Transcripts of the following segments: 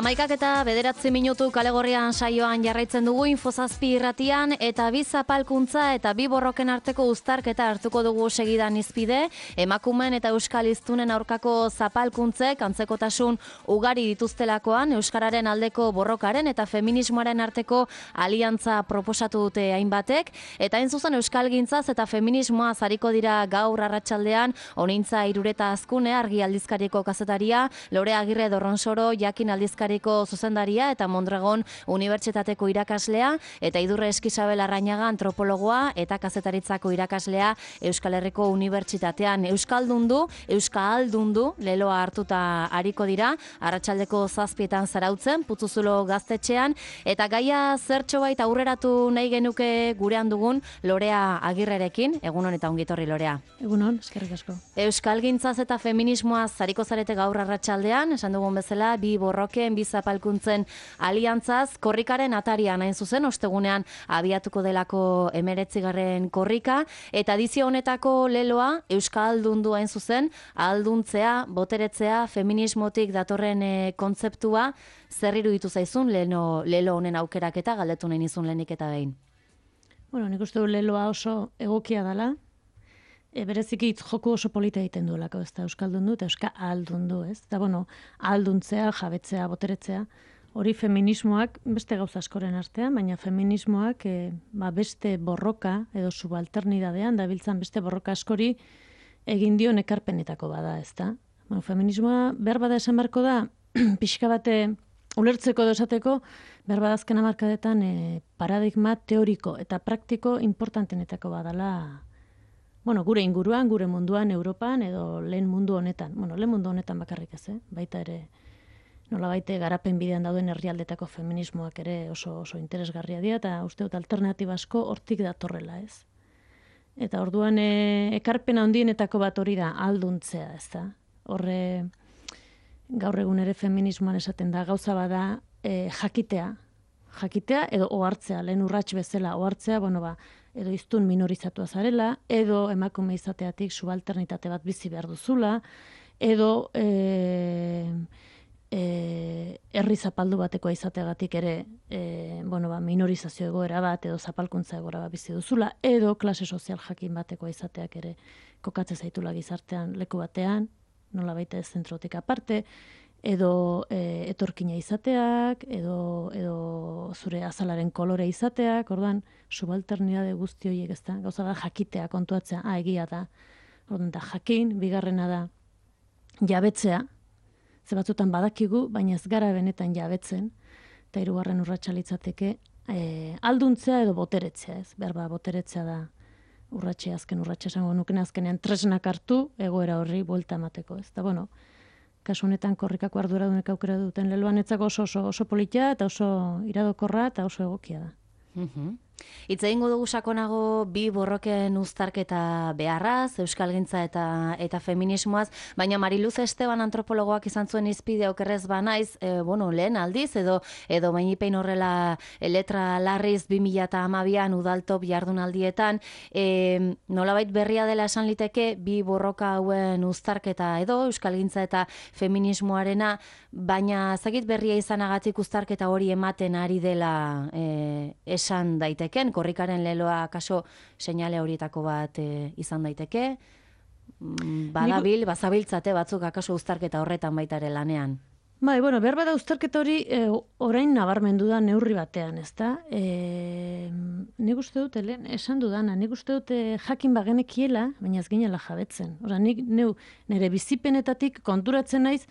Amaikak eta 9 kalegorrian saioan jarraitzen dugu Infozazpi irratian eta bi zapalkuntza eta bi borroken arteko uztarketa hartuko dugu segidan izpide. Emakumeen eta euskal hiztunen aurkako zapalkuntzek antzekotasun ugari dituztelakoan euskararen aldeko borrokaren eta feminismoaren arteko aliantza proposatu dute hainbatek. Eta hain zuzen euskalgintzaz eta feminismoaz ariko dira gaur arratsaldean Honintza Irureta Azkune Argi aldizkariko kazetaria, Lore Agirre Dorronsoro Jakin aldizkariko zuzendaria eta Mondragon Unibertsitateko irakaslea eta Idurre Eskizabel Arrañaga antropologoa eta kazetaritzako irakaslea Euskal Herriko Unibertsitatean. Euskaldundu leloa hartuta ariko dira, arratsaldeko 7etan zarautzen, Putzuzulo gaztetxean, eta gaia zertxobait aurreratu nahi genuke gurean dugun Lorea Agirrerekin. Egunon eta ongitorri, Lorea. Egunon, eskerrik asko. Euskalgintzaz eta feminismoaz zariko zarete gaur arratsaldean, esan dugun bezala, bi borroken, bi zapalkuntzen aliantzaz, korrikaren atarian hain zuzen, ostegunean abiatuko delako 19. korrika, eta edizio honetako leloa euskaldundu hain zuzen, ahalduntzea, boteretzea, feminismotik datorren kontzeptua, zer iruditu zaizun lelo honen aukeraketa, galdetu nahi nizun lehenik eta behin. Bueno, nik uste du leloa oso egokia dela, bereziki hitz joku oso polita egiten duelako, ez da euskaldundu eta euska ahaldundu, ez? Eta bueno, ahalduntzea, jabetzea, boteretzea, hori feminismoak beste gauza askoren artean, baina feminismoak beste borroka edo subalternidadean dabiltzan beste borroka askori egin dio ekarpenetako bada, ez da? Bueno, feminismoa berbada esan beharko da, pixka bate ulertzeko edo esateko, berbada azken hamarkadetan paradigma teoriko eta praktiko importantenetako badala. Bueno, gure inguruan, gure munduan, Europan edo lehen mundu honetan. Bueno, lehen mundu honetan bakarrik ez, baita ere nolabait garapen bidean dauden herrialdetako feminismoak ere oso interesgarria dira eta uste dut alternatiba asko hortik datorrela, ez? Eta orduan ekarpena handienetako bat hori da ahalduntzea, ez da? Horre gaur egun ere feminismoan esaten da gauza bada jakitea edo ohartzea, lehen urrats bezala ohartzea, edo hiztun minorizatua zarela, edo emakume izateatik subalternitate bat bizi behar duzula, edo herri zapaldu batekoa izateagatik ere minorizazio egoera bat, edo zapalkuntza egoera bat bizi duzula, edo klase sozial jakin batekoa izateak ere kokatze zaitula gizartean leku batean, nola baita ez zentrotik aparte, edo etorkina izateak, edo zure azalaren kolore izateak, orduan, subalternidade guzti horiek ez da, gauza da jakitea, kontuatzea, egia da, orduan da jakin, bigarrena da jabetzea, ze batzutan badakigu, baina ez gara benetan jabetzen, eta hirugarren urratsa litzateke ahalduntzea edo boteretzea, ez, berba boteretzea da azken urratsa esango nuken azkenean tresnak hartu, egoera horri buelta emateko, ez da, bueno, kasu honetan korrikako arduradunek aukera duten leloan etzako oso politia eta oso iradokorra eta oso egokia da. Hitz egingo dugu sakonago bi borroken uztarketa beharraz, euskalgintza eta feminismoaz, baina Mariluz Esteban antropologoak izan zuen izpide okerrez banaiz, lehen aldiz, edo bainipein horrela letra larriz 2012an udaltop jardunaldietan, nolabait berria dela esan liteke bi borroka hauen uztarketa edo euskalgintza eta feminismoarena, baina zakit berria izanagatik uztarketa hori ematen ari dela esan daiteke. Korrikaren leloa kaso seinale horietako bat izan daiteke, badabil, bazabiltzate batzuk akaso uztarketa horretan baita ere lanean. Behar bada uztarketa hori orain nabarmendu da neurri batean, ez da? Nik uste dut, esan dudana, nik uste dut jakin bagenekiela, baina ez ginela jabetzen. Nik nire bizipenetatik konturatzen naiz,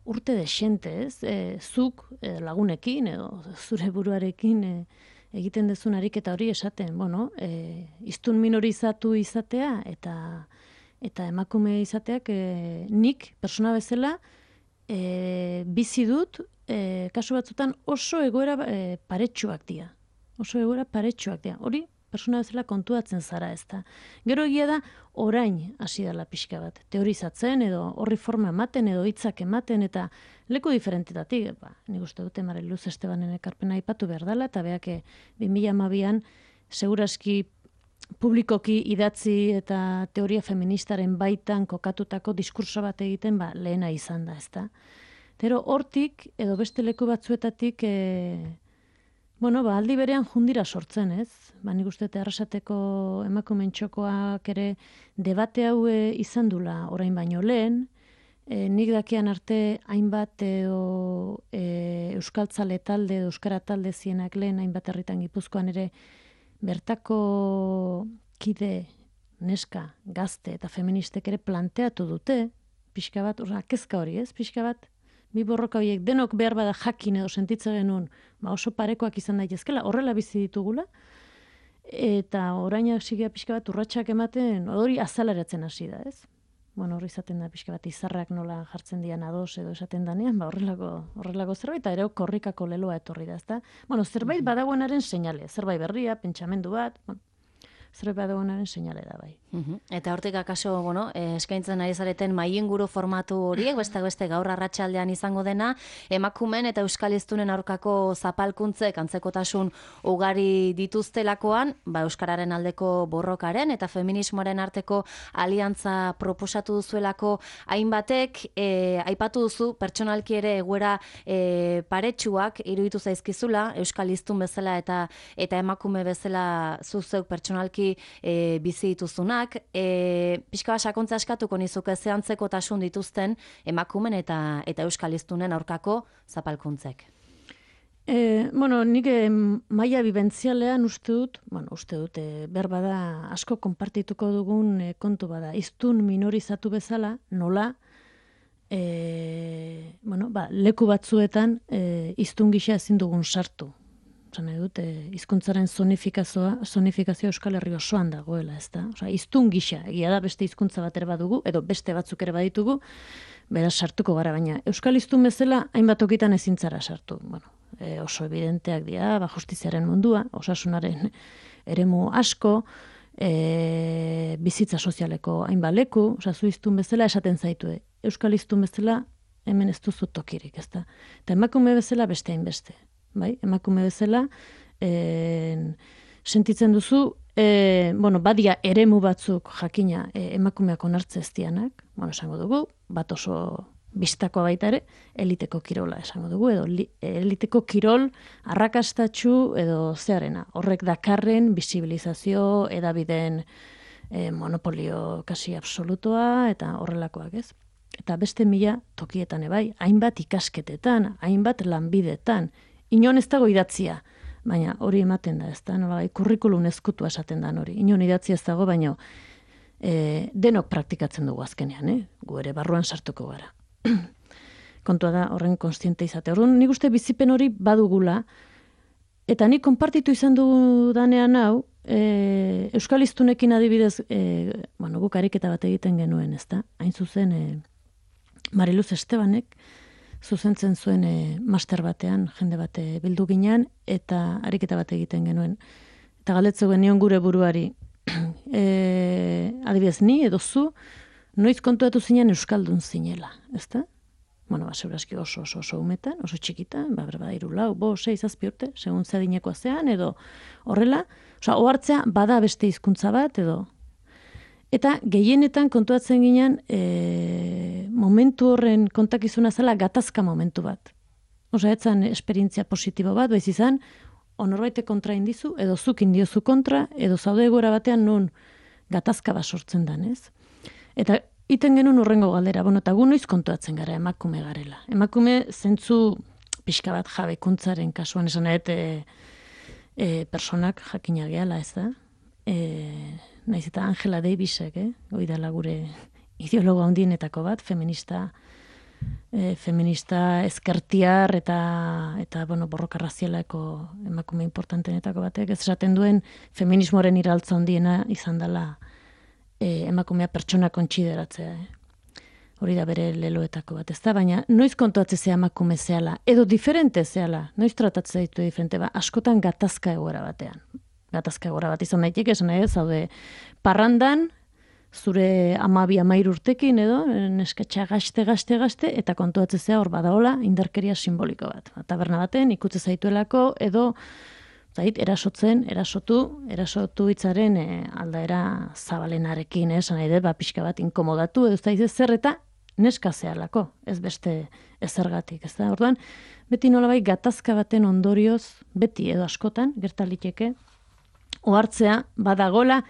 urte desente, ez? Zuk lagunekin edo zure buruarekin egiten dezun ariketa hori esaten, hiztun minorizatu izatea eta emakume izateak nik persona bezala bizi dut kasu batzutan oso egoera paretsuak dira. Hori persona bezala kontuatzen zara, ez da. Gero egia da, orain hasi dela pixka bat, teorizatzen edo horri forma ematen edo hitzak ematen eta leku diferentetatik, nik uste dute Mariluz Estebanen ekarpena aipatu behar dela, eta beak 2012an seguraski publikoki idatzi eta teoria feministaren baitan kokatutako diskurso bat egiten, lehena izan da, ezta. Pero hortik, edo beste leku batzuetatik, aldi berean jundira sortzen, ez? Nik uste Arrasateko emakumeen txokoak ere debate hau izan dula orain baino lehen, nik dakian arte hainbat euskaltzale talde, euskara talde zienak lehen, hainbat herritan Gipuzkoan ere, bertako kide, neska, gazte eta feministek ere planteatu dute, pixka bat, kezka hori, ez? Pixka bat, bi borroka horiek denok behar bada jakin edo sentitze genuen, oso parekoak izan daitezkela, horrela bizi ditugula, eta orainak sigia pixka bat urratsak ematen, hori azaleratzen hasi da, ez? Hori izaten da pixka bat izarrak nola jartzen dian ados edo esaten danean, horrelako zerbait, eta ere korrikako leloa etorri da, ezta? Zerbait badagoenaren seinale, zerbait berria, pentsamendu bat, zerbait badagoenaren seinale da bai. Eta hortik akaso, eskaintzen ari zareten maiinguru formatu horiek, beste gaur arratsaldean izango dena, emakumeen eta euskal hiztunen aurkako zapalkuntzek antzekotasun ugari dituztelakoan, euskararen aldeko borrokaren eta feminismoaren arteko aliantza proposatu duzuelako hainbatek, aipatu duzu pertsonalki ere egoera paretsuak iruditu zaizkizula, euskal hiztun bezala eta emakume bezala zuzeuk pertsonalki bizi dituzunak, pixka bat sakontza eskatuko nizuke ze antzekotasun dituzten emakumen eta euskal hiztunen aurkako zapalkuntzek. Nik maila bibentzialean uste dut, berbada asko konpartituko dugun kontu bada, hiztun minorizatu bezala, nola, leku batzuetan hiztun gisa ezin dugun sartu. Nahi dut, hizkuntzaren zonifikazio Euskal Herri osoan dagoela, ez da? Hiztun gisa, egia da beste hizkuntza bat ere badugu, edo beste batzuk ere baditugu, beraz sartuko gara, baina Euskal hiztun bezala hainbat tokitan ezin zara sartu. Oso evidenteak dira, justiziaren mundua, osasunaren eremu asko, bizitza sozialeko hainbat leku, zu hiztun bezala esaten zaitu, Euskal hiztun bezala hemen ez duzu tokirik, ez da? Eta emakume bezala beste hainbeste. Emakume bezala, sentitzen duzu, badia eremu batzuk jakina emakumeak onartze ez dianak, esango dugu, bat oso bistakoa baita ere, eliteko kirola esango dugu, edo eliteko kirol arrakastatsu edo zearena. Horrek dakarren bisibilizazio edabideen monopolio kasi absolutoa eta horrelakoak, ez? Eta beste mila tokietan ebai, hainbat ikasketetan, hainbat lanbidetan, inon ez dago idatzia, baina hori ematen da, ez da, kurrikulum ezkutua esaten da hori. Inon idatzia ez dago, baina denok praktikatzen dugu azkenean, gu ere barruan sartuko gara. Kontua da horren konstiente izate. Orduan, nik uste bizipen hori badugula, eta nik konpartitu izan dudanean hau, Euskal hiztunekin adibidez, guk ariketa bat egiten genuen, ez da, hain zuzen Mariluz Estebanek, zuzentzen zuen master batean, jende bate bildu ginean, eta ariketa bat egiten genuen. Eta galdetzen genion gure buruari, adibidez ni edo zu, noiz kontuatu zinen euskaldun zinela, ezta? Seguraski oso umetan, oso txikitan, berba 3, 4, 5, 6, 7 urte, segun zedinekoa zean, edo horrela, ohartzea bada beste hizkuntza bat, edo. Eta gehienetan kontuatzen ginen momentu horren kontakizuna zela gatazka momentu bat. Etzan esperientzia positibo bat, baiz izan, onorbait kontra indizu, edo zuk indiozu kontra, edo zaude egoera batean nun gatazka bat sortzen dan, ez? Eta iten genuen urrengo galdera, eta gu noiz kontuatzen gara emakume garela. Emakume zentzu pixka bat jabekuntzaren kasuan esan personak jakina gehala, ez da? Naiz eta Angela Davisek, hori dela gure ideologo handienetako bat, feminista ezkertiar eta borroka razialeko emakume importantenetako batek, ez esaten duen feminismoaren iraltza handiena izan dela emakumea pertsona kontsideratzea. Hori da bere leloetako bat, ez da, baina noiz kontuatze zea emakume zehala, edo diferente zehala, noiz tratatzea ditu diferente, askotan gatazka egoera batean. Gatazka egoera bat izan daiteke, esan nahi, zaude parrandan, zure 12-13 urtekin edo, neskatxa gazte, eta kontuatzea hor badaola indarkeria simboliko bat. Taberna baten, ikutze zaituelako, edo zait, erasotu hitzaren aldaera zabalenarekin, esan nahi dut, pixka bat inkomodatu, edo zait zer eta neska zehalako, ez beste ezergatik, ez da? Orduan, beti nolabait gatazka baten ondorioz, beti edo askotan, gertaliteke, ohartzea badagola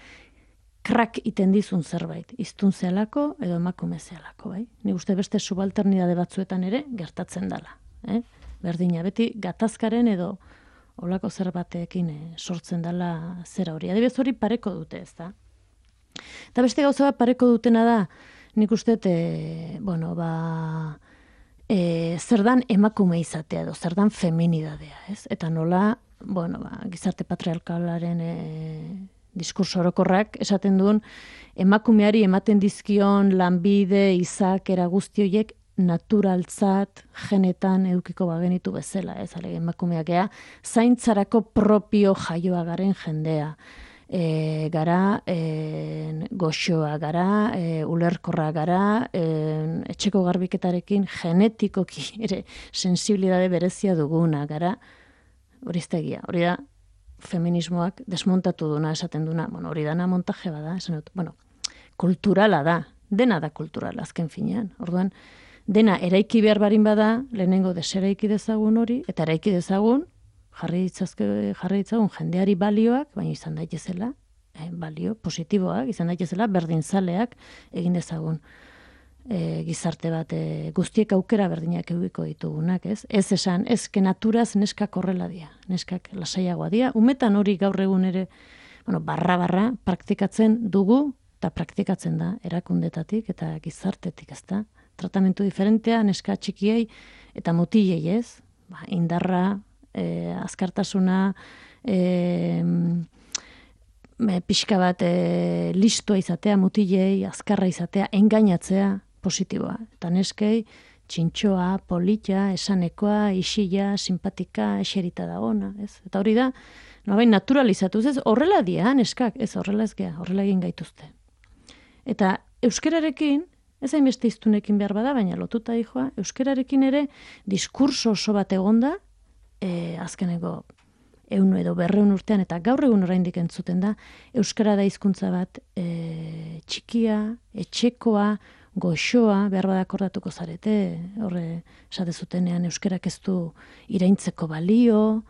krak iten dizun zerbait, iztun zehalako edo emakume zehalako, bai? Ni uste beste subalternidade batzuetan ere gertatzen dela, Berdina, beti gatazkaren edo olako zerbatekin sortzen dela zera hori. Adibidez hori pareko dute, ez da? Eta beste gauza bat pareko dutena da, nik uste, zer dan emakume izatea edo, zer dan feminidadea, ez? Eta nola, gizarte patriarkalaren diskurso orokorrak esaten duen, emakumeari ematen dizkion lanbide, izakera guzti horiek naturaltzat, genetan edukiko bagenitu bezala, ez? Emakumeak ea, zaintzarako propio jaioa garen jendea. Gara, goxoa gara, ulerkorra gara, etxeko garbiketarekin genetikoki ere sensibilidade berezia duguna gara, hori ez da egia, hori da feminismoak desmontatu duna, esaten duna, hori dana montaje bada, esan dut, kulturala da, dena da kulturala azken finean, orduan, dena eraiki behar barin bada, lehenengo deseraiki dezagun hori, eta eraiki dezagun, jarri ditzagun jendeari balioak, baina izan daitezela, balio positiboak, izan daitezela, berdinzaleak egin dezagun gizarte bat, guztiek aukera berdinak edukiko ditugunak, ez? Ez esan, ezke naturaz neskak horrela dia, neskak lasaiagoa dia, umetan hori gaur egun ere, barra praktikatzen dugu, eta praktikatzen da, erakundetatik eta gizartetik, ez da? Tratamentu diferentea, neska txikiei eta mutilei, ez? Indarra, azkartasuna, pixka bat listua izatea, mutilei, azkarra izatea, engainatzea, positiboa. Eta neskei, txintxoa, polita, esanekoa, isila, simpatika, eserita da ona, ez? Eta hori da, naturalizatuz, ez? Horrela dia, neskak, ez horrela ez gea, horrela egin gaituzte. Eta euskerarekin, ez hainbeste iztunekin behar bada, baina lotuta dijoa, euskerarekin ere diskurso oso bat egonda, azkeneko 100 edo 200 urtean, eta gaur egun oraindik entzuten da, euskara da hizkuntza bat txikia, etxekoa, goxoa, behar bada akordatuko zarete, horre esate zutenean euskerak ez du iraintzeko balio,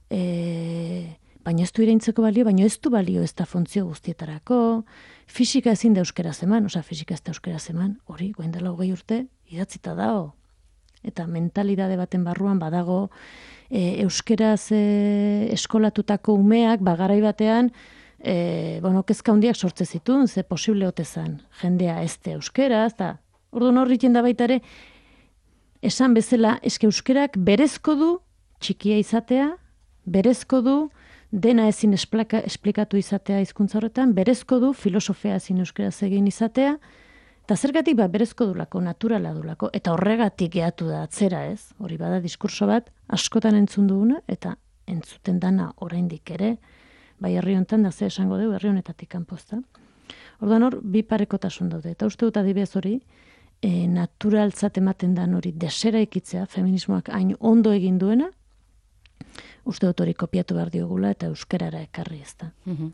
baina ez du iraintzeko balio, baina ez du balio ez da funtzio guztietarako, fisika ezin da euskera zeman, fisika ez da euskera zeman, hori, goen dela 20 urte, idatzita dao. Eta mentalidade baten barruan badago, euskeraz eskolatutako umeak, garai batean, kezka handiak sortze zituen, ze posible otezan, jendea ezte euskeraz, eta orduan horritzen da baita ere, esan bezala, eske euskerak berezko du txikia izatea, berezko du dena ezin esplikatu izatea hizkuntza horretan, berezko du filosofia ezin euskeraz egin izatea, eta zergatik berezko dulako, naturala dulako, eta horregatik gehatu da atzera, ez? Hori bada diskurso bat askotan entzun duguna, eta entzuten dana oraindik ere, bai herri honetan da ze esango dugu herri honetatik kanpozta. Orduan hor, bi parekotasun daude, eta uste dut adibidez hori, naturaltzat ematen dan hori desera ikitzea, feminismoak hain ondo egin duena, uste dut hori kopiatu behar diogula eta euskerara ekarri ez da.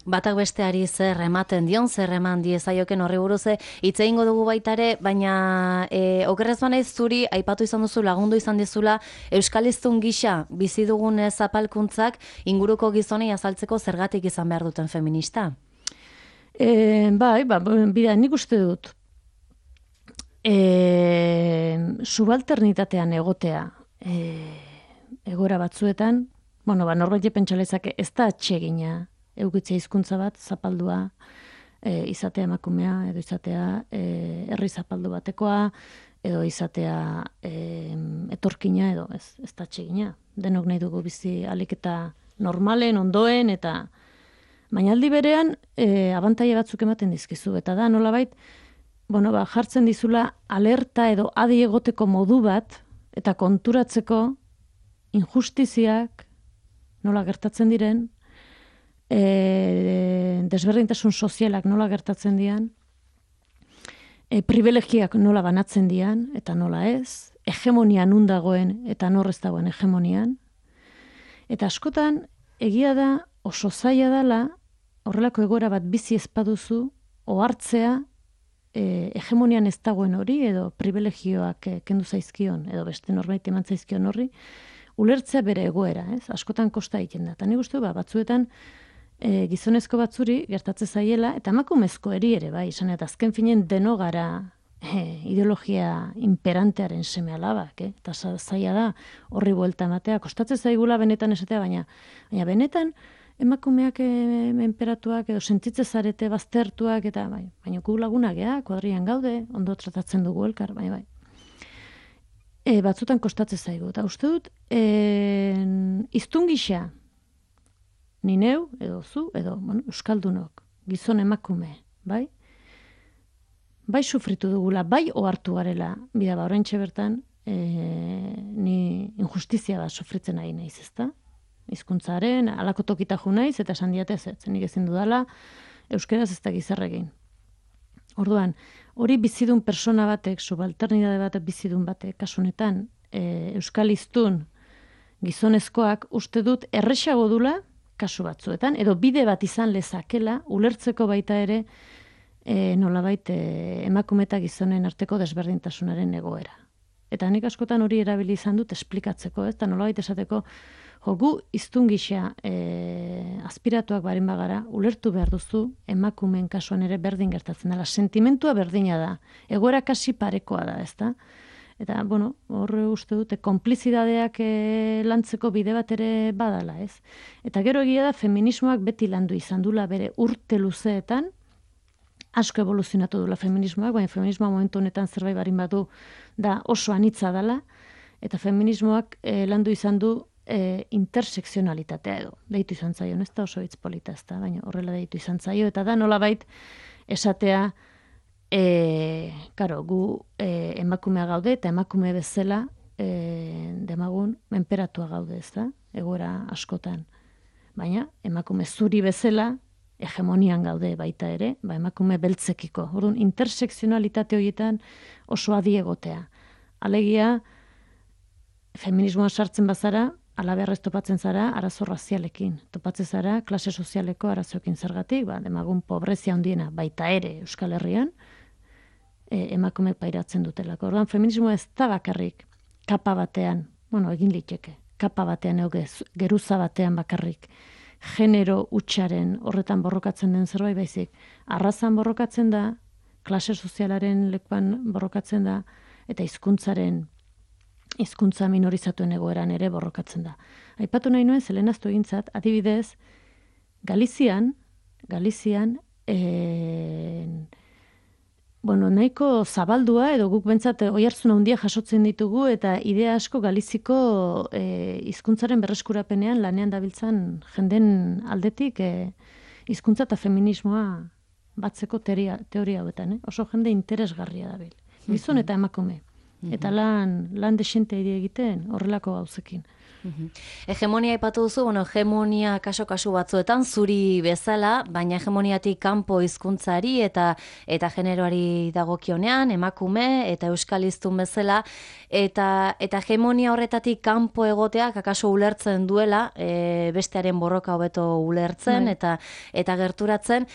Batak besteari zer ematen dion, zer eman diezaioken horri buruz hitz egingo dugu baitare, baina okerrez banaiz zuri aipatu izan duzu, lagundu izan dizula euskaliztun gisa bizi dugun zapalkuntzak inguruko gizonei azaltzeko zergatik izan behar duten feminista? Bida, nik uste dut subalternitatean egotea egora batzuetan, norbait pentsalezake ez da atsegina eukitzea hizkuntza bat, zapaldua, izatea emakumea, edo izatea herri zapaldu batekoa, edo izatea etorkina, edo ez da atsegina. Denok nahi dugu bizi ahalik eta normalen, ondoen, eta baina aldi berean abantaila batzuk ematen dizkizu, eta da nolabait, jartzen dizula alerta edo adi egoteko modu bat, eta konturatzeko injustiziak nola gertatzen diren, desberdintasun sozialak nola gertatzen dian, privilegiak nola banatzen dian, eta nola ez, hegemonia nun dagoen, eta nor ez dagoen hegemonian. Eta askotan, egia da oso zaila dela horrelako egoera bat bizi ezpaduzu ohartzea hegemonian ez dagoen hori edo privilegioak kendu zaizkion edo beste norbait eman zaizkion horri ulertzea bere egoera, ez? Askotan kosta egiten da. Ta nik uste batzuetan gizonezko batzuri gertatze zaiela eta emakumezko ere bai, izan eta azken finen deno gara ideologia imperantearen seme-alabak, eta zaila da horri buelta ematea, kostatzen zaigula benetan esatea, baina benetan emakumeak menperatuak edo sentitze zarete baztertuak eta bai, baina gu lagunak kuadrian gaude, ondo tratatzen dugu elkar, bai. Batzutan kostatzen zaigu, eta uste dut iztun gisa ni neu, edo zu, edo euskaldunok, gizon emakume, bai? Bai sufritu dugula, bai ohartu garela, bida oraintxe bertan, ni injustizia bat sufritzen ari naiz, ezta? Hizkuntzaren halako tokita jo naiz eta esan diate ez, nik ezin dudala euskeraz ez dakiz zer egin. Orduan, hori bizidun persona batek, subalternidade batek bizidun batek, kasu honetan, euskal hiztun gizonezkoak uste dut erresago dula kasu batzuetan, edo bide bat izan lezakela ulertzeko baita ere nolabait emakume eta gizonen arteko desberdintasunaren egoera. Eta nik askotan hori erabili izan dut esplikatzeko, eta nolabait esateko, gu hiztun gisa aspiratuak barin bagara, ulertu behar duzu emakumeen kasuan ere berdin gertatzen dela. Sentimentua berdina da, egoera kasi parekoa da, ezta? Eta, horre uste dute, konplizidadeak lantzeko bide bat ere badala, ez? Eta gero egia da, feminismoak beti landu izan dula bere urte luzeetan, asko evoluzionatu dula feminismoak, baina feminismoa momentu honetan zerbait barin badu da oso anitza dela, eta feminismoak landu izan du intersekzionalitatea edo. Deitu izan zaio, ez da oso hitz polita ez da, baina horrela deitu izan zaio, eta da nolabait esatea, gu emakumea gaude, eta emakume bezala demagun menperatua gaude, ez da, egoera askotan. Baina emakume zuri bezala, hegemonian gaude baita ere, emakume beltzekiko. Orduan, intersekzionalitate horietan oso adi egotea. Alegia, feminismoa sartzen bazara, alabeharrez topatzen zara arazo razialekin. Topatzen zara klase sozialeko arazoekin zergatik, demagun pobrezia handiena baita ere Euskal Herrian, emakumeek pairatzen dutelako. Orduan, feminismoa ez da bakarrik kapa batean, egin liteke, kapa batean geruza batean bakarrik, genero hutsaren horretan borrokatzen den zerbait baizik. Arrazan borrokatzen da, klase sozialaren lekuan borrokatzen da, eta hizkuntza minorizatuen egoeran ere borrokatzen da. Aipatu nahi nuen, zelenaztu egintzat, adibidez, Galizian, nahiko zabaldua, edo guk bentsat oihartzun handia jasotzen ditugu, eta idea asko Galiziko hizkuntzaren berreskurapenean lanean dabiltzan jenden aldetik hizkuntza eta feminismoa batzeko teoria hauetan. Oso jende interesgarria dabil. Gizon eta emakume. Eta lan desente egiten horrelako gauzekin. Hegemonia aipatu duzu, hegemonia kasu batzuetan zuri bezala, baina hegemoniatik kanpo hizkuntzari eta generoari dagokionean, emakume eta euskal hiztun bezala, eta hegemonia horretatik kanpo egoteak akaso ulertzen duela, bestearen borroka hobeto ulertzen eta gerturatzen.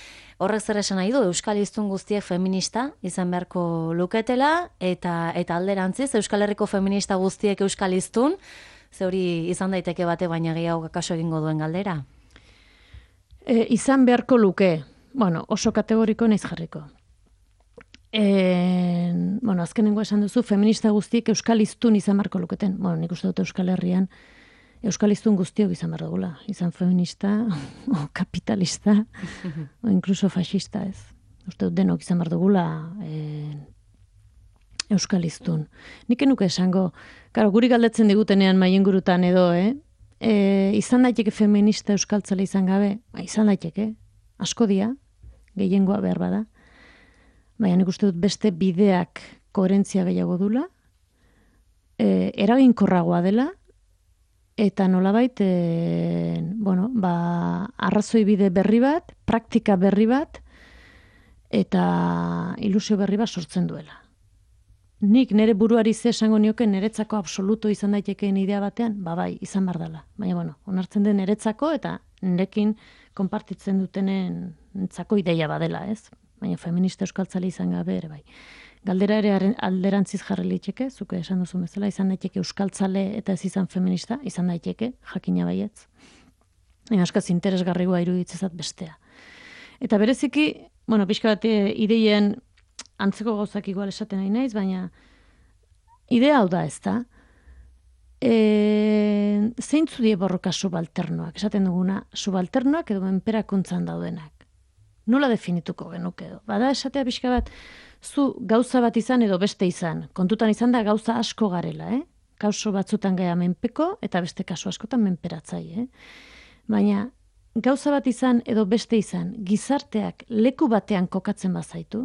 Horrek zer esan nahi du, euskal hiztun guztiek feminista izan beharko luketela, eta alderantziz, Euskal Herriko feminista guztiek euskal hiztun, ze hori izan daiteke bate baina gehiago kaso egingo duen galdera? Izan beharko luke, oso kategoriko naiz jarriko. Azkenengo esan duzu, feminista guztiek euskal hiztun izan beharko luketen. Nik uste dut Euskal Herrian euskal hiztun guztiok izan behar dugula. Izan feminista, o kapitalista, o inkluso fascista, ez. Uste dut denok izan behar dugula euskal hiztun. Nik enuke esango, guri galdetzen digutenean maiengurutan edo, izan daiteke feminista euskaltzale izan gabe, izan daiteke, asko dia, gehiengoa behar bada, baina nik uste dut beste bideak koherentzia gehiago dula, eraginkorragoa dela, eta nolabait, arrazoi bide berri bat, praktika berri bat, eta ilusio berri bat sortzen duela. nik nire buruari ze esango nioke niretzako absoluto izan daitekeen idea batean, bai, izan behar dela. Baina, bueno, onartzen den niretzako eta nirekin konpartitzen dutenen entzako ideia badela, ez? Baina feminista euskaltzale izan gabe ere, bai. Galdera ere alderantziz jarri litzeke, zuke esan duzu bezala, izan daiteke euskaltzale eta ez izan feminista, izan daiteke, jakina baietz. Baina askaz interesgarrigoa iruditzezat bestea. Eta bereziki, bueno, pixka bat ideien antzeko gauzak igual esaten nahi naiz, baina idea hau da, ez da? Zeintzu die borroka subalternoak, esaten duguna, subalternoak edo menperakuntzan daudenak. Nola definituko genuke edo? Bada esatea pixka bat, zu gauza bat izan edo beste izan. Kontutan izan da gauza asko garela, Kasu batzutan gaia menpeko eta beste kasu askotan menperatzaile, Baina gauza bat izan edo beste izan, gizarteak leku batean kokatzen bazaitu,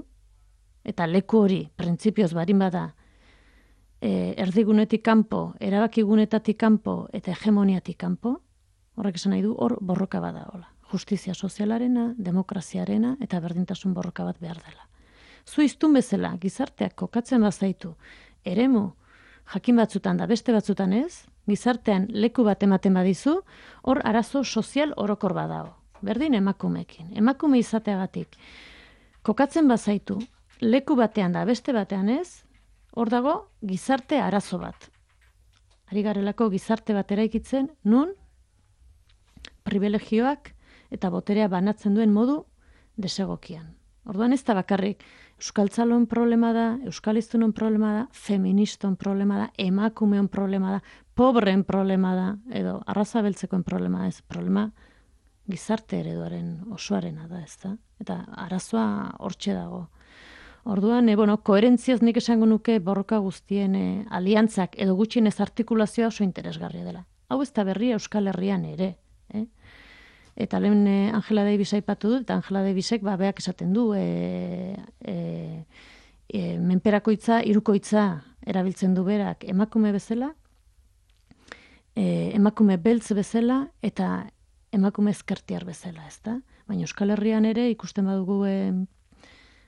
eta leku hori, printzipioz barin bada, erdigunetik kanpo, erabakigunetatik kanpo eta hegemoniatik kanpo, horrek esan nahi du, hor borroka bada hola. Justizia sozialarena, demokraziarena eta berdintasun borroka bat behar dela. Zu iztun bezala, gizarteak kokatzen bazaitu, eremu, jakin batzutan da beste batzutan ez, gizartean leku bat ematen badizu, hor arazo sozial orokor badago. Berdin emakumeekin. Emakume izateagatik kokatzen bazaitu, leku batean da beste batean ez, hor dago gizarte arazo bat. Ari garelako gizarte bat eraikitzen, nun privilegioak eta boterea banatzen duen modu desegokian. Orduan ez da bakarrik euskaltzalon problema da, euskalistunon problema da, feministon problema da, emakumeon problema da, pobreen problema da, edo arraza beltzekoen problema ez, problema gizarte ereduaren osoarena da, ez da? Eta arazoa hortxe dago. Orduan, koherentziaz nik esango nuke borroka guztien aliantzak edo gutxienez artikulazioa oso interesgarria dela. Hau ez da berria Euskal Herrian ere, Eta lehen Angela Davis aipatu dut, eta Angela Davisek beak esaten du, menperakoitza, hirukoitza erabiltzen du berak emakume bezala, emakume beltz bezala, eta emakume ezkertiar bezala, ezta? Baina Euskal Herrian ere ikusten badugu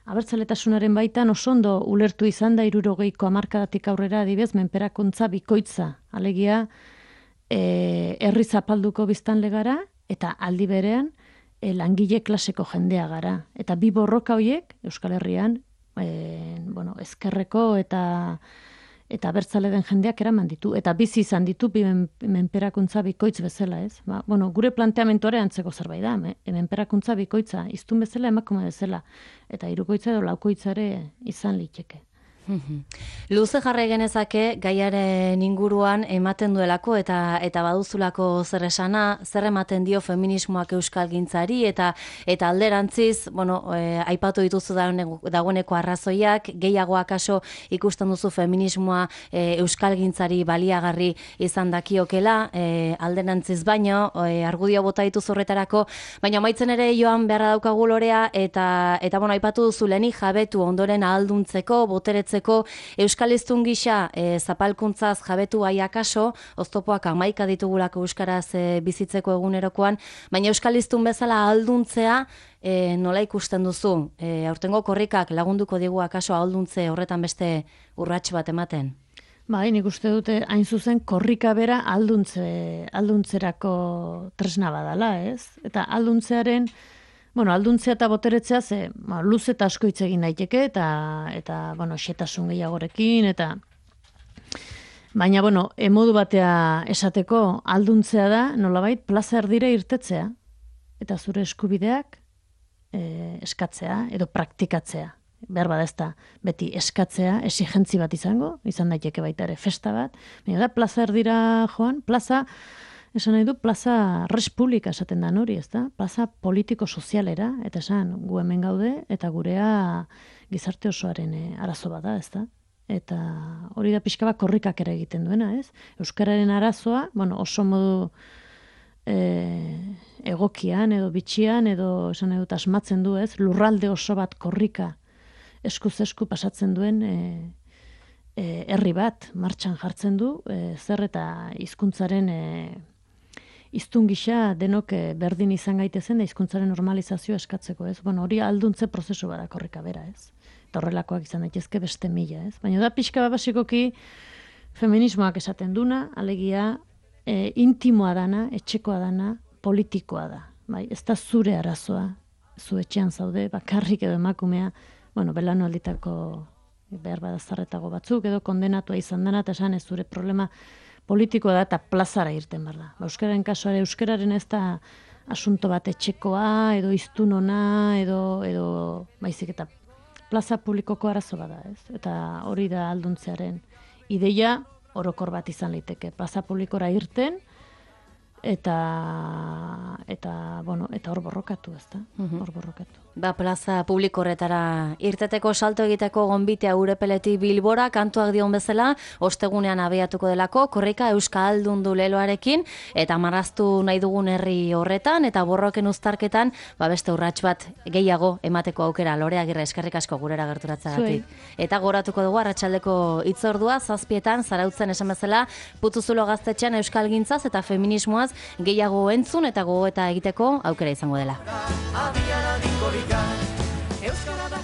abertzaletasunaren baitan oso ondo ulertu izan da 60ko hamarkadatik aurrera adibez menperakuntza bikoitza. Alegia herri zapalduko biztanle gara eta aldi berean langile klaseko jendea gara. Eta bi borroka horiek Euskal Herrian ezkerreko eta abertzale den jendeak eraman ditu. Eta bizi izan ditu menperakuntza bikoitz bezala, ez? Gure planteamentuare antzeko zerbait da. Menperakuntza bikoitza, iztun bezala emakume bezala. Eta hirukoitza edo laukoitzare izan liteke. Luze jarrai genezake gaiaren inguruan ematen duelako eta baduzulako zer esana, zer ematen dio feminismoak euskalgintzari eta alderantziz, aipatu dituzu dagoeneko arrazoiak, gehiago akaso ikusten duzu feminismoa euskalgintzari baliagarri izan dakiokela, alderantziz baino, argudio bota dituzu horretarako, baina amaitzen ere joan beharra daukagu lorea eta aipatu duzu lehenik jabetu ondoren ahalduntzeko, boteretzeko euskalistun gisa zapalkuntzaz jabetu akaso, oztopoak 11 ditugulako euskaraz bizitzeko egunerokoan, baina euskalistun bezala ahalduntzea nola ikusten duzu? Aurtengo korrikak lagunduko digu akaso ahalduntze horretan beste urrats bat ematen? Nik uste dute hain zuzen korrika bera ahalduntzerako tresna badala, ez? Eta ahalduntzea eta boteretzea luze eta asko hitz egin daiteke eta xetasun gehiagorekin baina modu batea esateko ahalduntzea da nolabait plaza erdira irtetzea eta zure eskubideak eskatzea edo praktikatzea. Behar bada ez da beti eskatzea, exigentzi bat izan daiteke baita ere festa bat, baina da plaza erdira joan, esan nahi du, plaza res publika esaten da hori, ez da? Plaza politiko-sozialera, eta esan, gu hemen gaude, eta gurea gizarte osoaren arazo bada, ez da? Eta hori da pixka bat korrikak ere egiten duena, ez? Euskararen arazoa, oso modu egokian, edo bitxian, edo esan nahi dut asmatzen du, ez? Lurralde oso bat korrika eskuz-esku pasatzen duen herri bat martxan jartzen du, zer eta hizkuntzaren hiztun gisa denok berdin izan gaitezen da hizkuntzaren normalizazioa eskatzeko, ez? Hori alduntze prozesu bada korrika bera, ez? eta horrelakoak izan daitezke beste mila, ez? Baina da pixka bat basikoki feminismoak esaten duna, alegia intimoa dana, etxekoa dana, politikoa da. Bai, ez da zure arazoa, zu etxean zaude, bakarrik edo emakumea, belaunalditako behar bada zarretago batzuk, edo kondenatua izan dena, eta esan ez zure problema politikoa da, eta plazara irten behar da. Euskararen kasuare, euskararen ez da asunto bat etxekoa, edo iztunona, edo baizik eta plaza publikoko arazo bada, ez? Eta hori da alduntzearen ideia orokor bat izan liteke. Plaza publikora irten, eta hor borrokatu, ez da? Hor borrokatu. Plaza publiko horretara irteteko salto egiteko gonbitea Urepeletik Bilbora, kantuak dion bezala, ostegunean abiatuko delako, korrika euskaldundu leloarekin, eta marraztu nahi dugun herri horretan, eta borroken uztarketan, beste urrats bat gehiago emateko aukera. Lore Agirre, eskerrik asko gurera gerturatzagatik. Eta goratuko dugu arratsaldeko hitzordua, 7:00 Zarautzen esan bezala, Putuzulo gaztetxean euskalgintzaz eta feminismoaz gehiago entzun eta gogoeta egiteko aukera izango dela. Euskara da